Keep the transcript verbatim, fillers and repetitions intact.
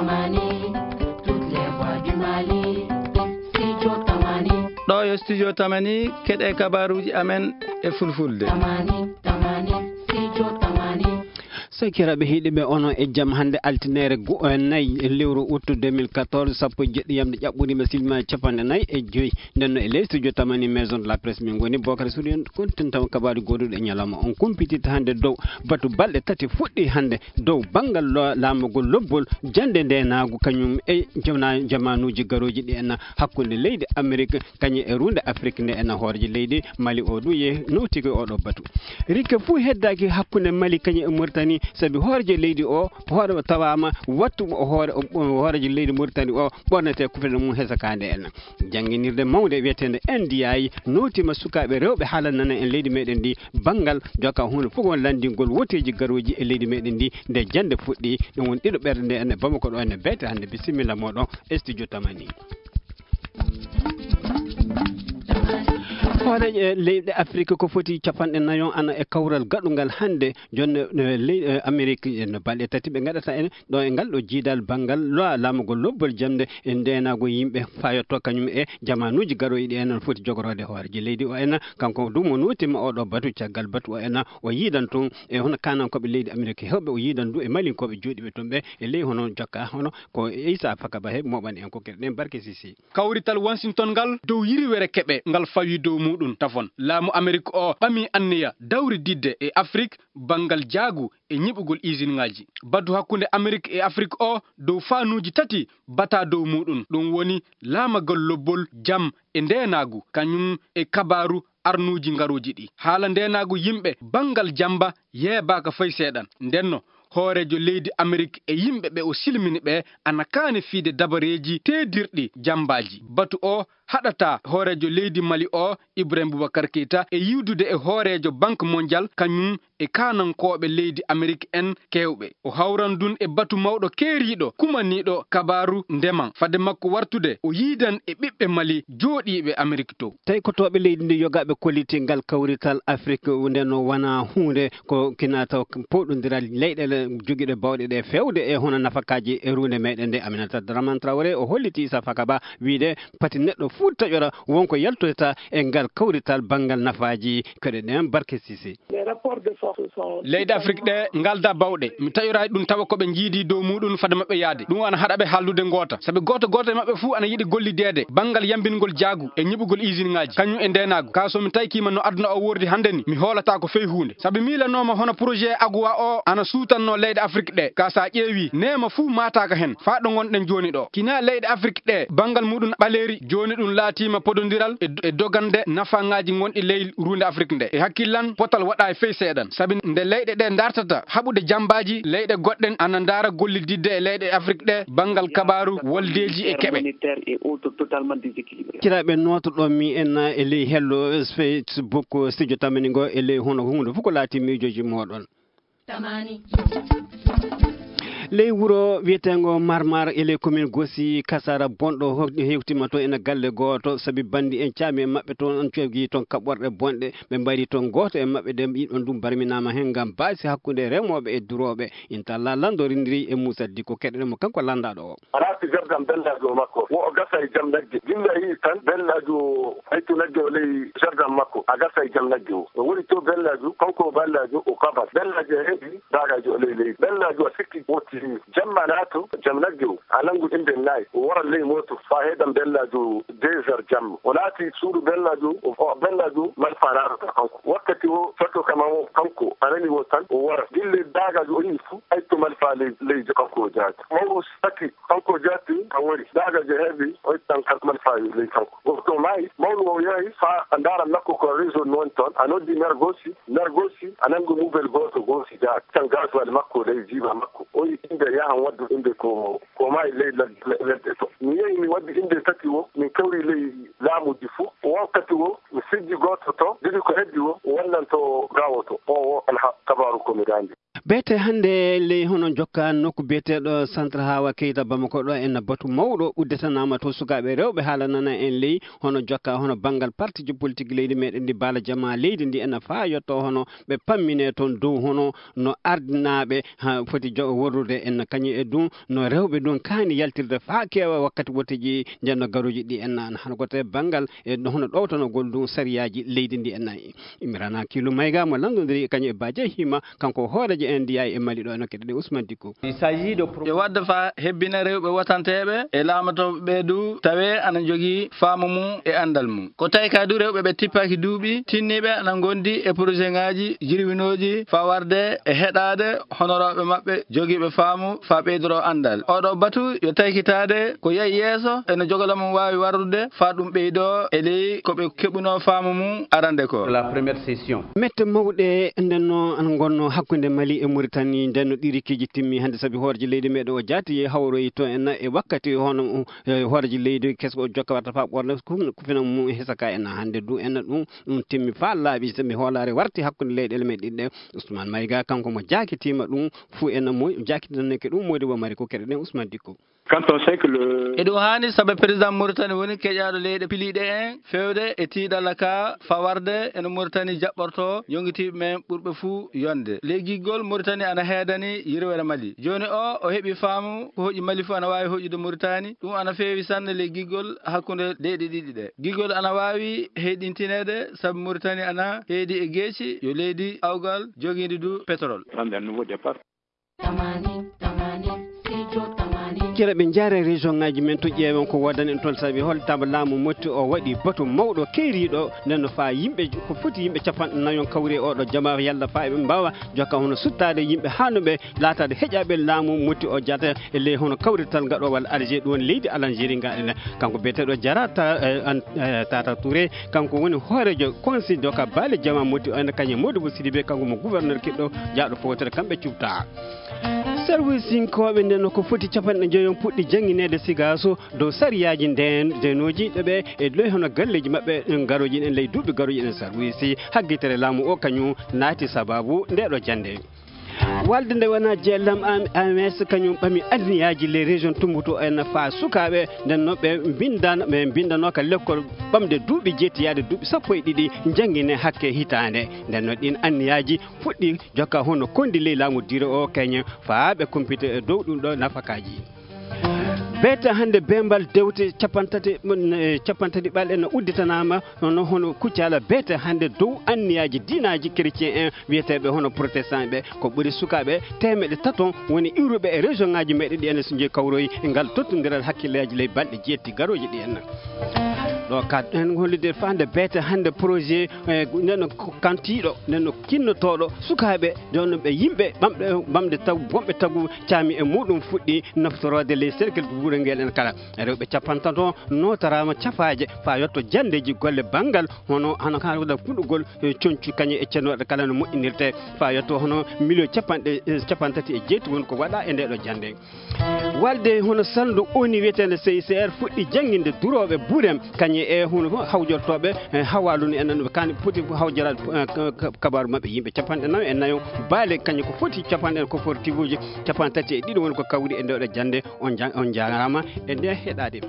Tamani, toutes les voix du Mali. Studio Tamani. Ɗo yo Studio Tamani, keɗe kabaruuji amen e fulfulde. Tamani, Tamani, Studio Tamani. Sakiraaɓe heɗiiɓe, onon e jam hannde altineere go-, eh, nayi e lewru août deux mille quatorze, sappo e jeɗɗi yamde ƴaɓɓude ma silma capanɗe nayi e joyi. Nden no e ley studio Tamani Maison de la Presse min ngoni, Bokar Suudu, en kontin taw kabaaji goduɗi e ñalawma on. Kumpititta hannde dow batu balɗe tati fuɗɗi hannde dow banngal lo-, laamagol lobbol jannde ndeenaagu kañum e jama-, jamaanuuji garooji ɗi en hakkunde leydi Amerik kañum e ruunde Afrik nde en hooreejo leydi Mali o ɗum ye nowtiki oɗo batu. Rikke fuu heddaaki hakkunde Mali kañum e Mauritanie, sabi hooreejo leydi o hoore o tawaama wattu o hoore, o, o hooreejo leydi Mauritanie o ɓornete kufene mum hesakaande en. Jannginirde mawnde wiyeteende N D I nootiima sukaaɓe rewɓe haalanana en leydi meɗen ndi banngal jokka huunde fof won lanndingol woteeji garooji e leydi meɗen ndi nde jannde fuɗɗi. Ɗum woni ɗiɗo ɓerde nde en e Bamako ɗo en e beete hannde. Bisimilla moɗon e studio Tamani. Hooreejo leyɗe Afrik ko foti capanɗe nayo ana e kawral gaɗungal hannde jonne, eh, ley, eh, Amerik, eh, no balɗe tati ɓe ngaɗata en ɗo e ngal ɗo jiidal banngal lo-, laamugol lobbol jamde e ndeenaago yimɓe fayotto kañum e jamaanuuji garooji ɗi en foti jogoroode hooreejo leydi o en. Kanko du mo nootiima oɗo batu, caggal batu o en o yiidan toon e hono kaanankooɓe leydi Amerik heewɓe, o yiidan du e malinkooɓe jooɗiiɓe toon ɓe e ley hono jokka hono ko Issa Fakaba he mooɓani en ko keɗe ɗen barke sisi. Kawrital Washington ngal dow yiriwere keɓe ngal fawi dow muɗum tafon. Laamu Amerik o ɓami anniya dawrididde e Afrik banngal jaagu e ñiɓugol isinŋaaji. Batu hakkunde Amerik e Afrik o dow fanuuji tati bata dow muɗum. Ɗum woni laamagol lobbol, jam e ndeenaagu, kañum e kabaaru arnuuji ngarooji ɗi. Haala ndeenaagu yimɓe banngal jamba yeebaaka fay seeɗan. Ndenno, hooreejo leydi Amerik e yimɓe ɓe o silmini ɓe ana kaani fiide dabareeji teedirɗi jambaaji. Batu o haɗata hooreejo leydi Mali o, Ibrahim Boubacar Keita, e yiwdude e hooreejo Banque Mondiale, kañum e kaanankooɓe leydi Amerik en keewɓe. O hawran dun e batu mawɗo keeriiɗo, kumaniiɗo kabaaru ndeman. Fade makko wartude, o yiidan e ɓiɓɓe Mali jooɗiiɓe Amerik to. Tawi ko tooɓe leydi ndi yogaaɓe kolliti ngal kawrital Afrik, nde no wona huunde ko kinata powɗondiral leyɗeele jogiiɗe bawɗe ɗe feewde e hono nafakaaji e ruunde meɗen nde. Aminata Dramane Traoré o holliti Issa Fakaba wiide pati neɗɗo fuu taƴora wonko yaltoyta e ngal kawrital banngal nafaaji koɗe ɗen barke sisi. Leyɗe Afrik ɗe ngalda bawɗe. Mi taƴoraay ɗum tawa ko ɓe njiidi dow muɗum fade maɓɓe yaade. Ɗum ana haɗa ɓe haaldude ngoota. Sabi gooto gooto e maɓɓe fuu ana yiɗi gollideede banngal yambingol jaagu e ñiɓugol isinŋaaji, kañum e ndeenaagu. Ka so mi taykiima no aduna o wordi hannde ni, mi hoolataako fey huunde. Sabi miilanooma hono projet Aguwa o ana suutanno leyɗe Afrik ɗe. Ka sa ƴeewi, neema fuu maataaka hen, faa ɗo ngonɗen jooni ɗo. Kina leyɗe Afrik ɗe, banngal muɗum ɓaleeri, jooni ɗum laatiima podondiral e, e dogande nafaŋaaji gonɗi ley ruunde Afrik nde. E hakkillan, potal waɗaay fey seeɗan. Sabi nde leyɗe ɗe dartata haɓude jambaaji, leyɗe goɗɗen ana ndaara gollididde e leyɗe Afrik ɗe, banngal kabaaru, woldeeji e keɓe. Kiraaɓe nootoɗon mi en e ley hello Facebook studio Tamani ngo e ley hono huunde fof ko laati miijooji mooɗon. Tamani. Ley wuro wiyeteengo Marmar e ley commune Gosi, kasara bonɗo ho-, hewtima toon ena galle gooto, sabi banndi en caami e maɓɓe toon, on cogii toon kaɓɓorɗe bonɗe, ɓe mbayri toon gooto e maɓɓe, ɗen yiɗon ɗum barminaama heen ngam baasi hakkunde remooɓe e durooɓe. Inchallah, lanndo rindiri e Moussa Dicko, keɗoɗen mo kanko lanndaaɗo o. Rafi jardam bellaajo makko, wo o gasa e jam nagge. Gilla yi tan bellaajo haytu nagge o ley jardam makko, a gasa e jam nagge o. O woni to bellaajo, kanko bellaajo o kabas. Bellaajo e heɓi daagaajo o ley leydi. Bellaajo a sikki woti jamma naato jam nagge o. A nanngu innde nayi, o wara ley mooto faa heɗam bellaajo deux heures jamma. O naati suudu bellaajo, o, o bellaajo malfa naatata kanko. Wakkati o fetto kama o kanko, a nani o tan, o wara. Gille daagaajo o yi fu, ay to malfa ley, ley kanko o jaati. Mawɗo saki, kanko jaati, a wari. Daagaajo heɓi, o ittan kan malfa ley kanko. Gooto maayi, mawɗo o yahi faa a ndaara makko ko réseau non ton, a noddi mer Gosi, mer Gosi, a nanngu mubel gooto Gosi jaati. Tan gaasuwal makko ley jiiba makko. O yi innde yahan waddu innde ko, ko maayi ley led-, le-, ledde to. Mi yehi mi waddi innde tati o, min kawri ley laamuuji fuu. O wakkati o, mi sijji gooto to, didi ko heddi o, o wallanto gaawo to. O, o alha kabaaru ko mi daande. Beete hannde ley hono jokka nokku biyeteeɗo Centre Hawa Keita Bamako ɗo, en batu mawɗo udditanaama to, sukaaɓe rewɓe haalanana en ley hono jokka hono banngal partiiji politique leydi meɗen ndi, baala jama leydi ndi, en faa yotto hono ɓe pammine toon dow hono no ardinaaɓe ha foti jo-, worrude en kañum e ɗum, no rewɓe ɗum kaani yaltirde faa keewa wakkati wotteeji nden no garooji ɗi en hano ko te banngal e hono ɗowtanagol ɗum sariyaaji leydi ndi en. Imrana Kilu Mayga mo lanndondiri kañum e Baje Hima, kanko hooreejo N D I e Mali ɗo, eno keɗoɗen Ousmane Dicko. Il s'agit de pro- E wadde fa hebbina rewɓe watanteeɓe e laamotooɓe ɓe du tawe ana jogii faamu mum e anndal mum. Ko tawi ka du rewɓe ɓe tippaaki duuɓi tinniiɓe ana ngondi e projet ŋaaji jirwinooji fa warde e heɗaade honorooɓe maɓɓe jogiiɓe faamu fa ɓeydoro anndal. Oɗo batu yo taykitaade ko yahi yeeso eno jogala mum waawi warrude fa ɗum ɓeydo e ley ko ɓe keɓuno faamu mum arande ko. La première session. Mette mawɗe nden no ana ngonno hakkunde Mali e Mauritanie, nden no ɗi rikiiji timmi hannde, sabi hooreejo leydi meɗen o jaati hawroyi to en e wakkati hono, eh, hooreejo leydi keso o jokka watta fa ɓorne kum-, kufina mum hesaka en hannde du en ɗum, ɗum timmi fa laaɓi, sabi hoolaare warti hakkunde leyɗeele men ɗiɗi ɗe. Ousmane Maïga kanko mo jaakitiima ɗum fuu en mo jaakitinaneke ɗum modi bo mari ko keɗoɗen Ousmane Dicko. Quand on sait que le Eɗum haani sabu président Mauritanie woni keƴaaɗo leyɗe piliiɗe en feewde e tiiɗalla ka fawarde eno Mauritanie jaɓɓorto yonngitiiɓe men ɓurɓe fuu yonde. Ley giggol Mauritanie ana heedani yirwere Mali. Jooni o, o heɓi faamu ko hoƴi Mali fuu ana waawi hoƴude Mauritanie. Ɗum ana feewi sanne ley giggol hakkunde leyɗe ɗiɗi ɗe. Giggol ana waawi heyɗintineede sabu Mauritanie ana heedi e geeci yo leydi awgal jogiindi du pétrole. Prendre un nouveau départ. Kere ɓe njaare région ngaji men to ƴeewen ko woodani en toon, sabi hol taba laamu motti o waɗi batu mawɗo keeriiɗo nden no faa yimɓe ko foti yimɓe capanɗe nayon kawri e oɗo jama yalla faa ɓe mbaawa jokka hono suttaade yimɓe haa no ɓe laataade heƴaaɓe laamu motti o jaata e ley hono kawrital ngaɗowal Alger ɗum woni leydi Algérie ngaɗen. Kanko biyeteeɗo Jara Ta-, eh, an-, eh, Tata Touré, kanko woni hooreejo conseil joka baale jama motti o ene kañe Modibo Sidibé, kanko mo gouverneur kiɗɗo jaaɗo fowtere kamɓe cubta. Service sinkooɓe nden no ko foti capanɗe njoyon puɗɗi janngineede sigaaso dow sariyaaji nden, ndenoji ɗo ɓe e ley hono galleeji maɓɓe ɗin garooji ɗen ley duuɓi garooji ɗen. Service haggitere laamu o kañum naati sababu nde ɗo jannde. Walde nde wona J L M A M S kañum ɓami anniyaaji les régions tumbutu en faa sukaaɓe nden no ɓe mbindan-, ɓe mbindanoo ka lekkol ɓamde duuɓi jeetti yaade duuɓi sappo e ɗiɗi janngine hakke hitaande. Nden no ɗin anniyaaji fuɗɗi jokka hono kondi ley laamu dire o keñe faa ɓe kumpita e dow ɗum ɗo nafakaaji. Beete hannde beembal dewte capanɗe tati, mm, eh, capanɗe tati ɓalɗe no udditanaama, hono, hono kuccala beete hannde dow anniyaaji diinaaji chrétien en wiyeteeɓe hono protestant ɓe, ko ɓuri sukaaɓe teemeɗe taton woni iwruɓe e région ngaji meɗen ɗi enen so jeeyi kawroyi e ngal tottondiral hakkilleeji ley balɗe jeetti garooji ɗi en. Ɗo ka en hollude faande beete hannde projet, eh, neno kantiiɗo, neno kinnotooɗo sukaaɓe, jooni ɓe yimɓe ɓamɓe, ɓamde taw, wonɓe tagu caami e muɗum fuɗɗi naftoroode ley cercle wuro ngel en kala. Rewɓe capantato nootoraama cafaaje faa yotto janndeeji golle banngal hono hano hano fuɗɗugol, eh, coñcu kañe e cennooɗe kala no moƴƴinirte faa yotto hono miliyo capanɗe, eh, capantati e jeetti woni ko waɗa e nde ɗo jannde. Walde hono salndu O N U wiyeteende C I C R fuɗɗi jannginde durooɓe burem kañe e hono hawjortooɓe, eh, hawaalu ni enen ɓe kaani poti hawjoraade, eh, ka-, ka-, kabaaru maɓɓe yimɓe capanɗe nayo e nayo baale kañe ko foti capanɗe ko fortifuuji capantati e ɗiɗi woni ko kawri e nde ɗo jannde. On ja-, on jaaraama e nde heɗaade.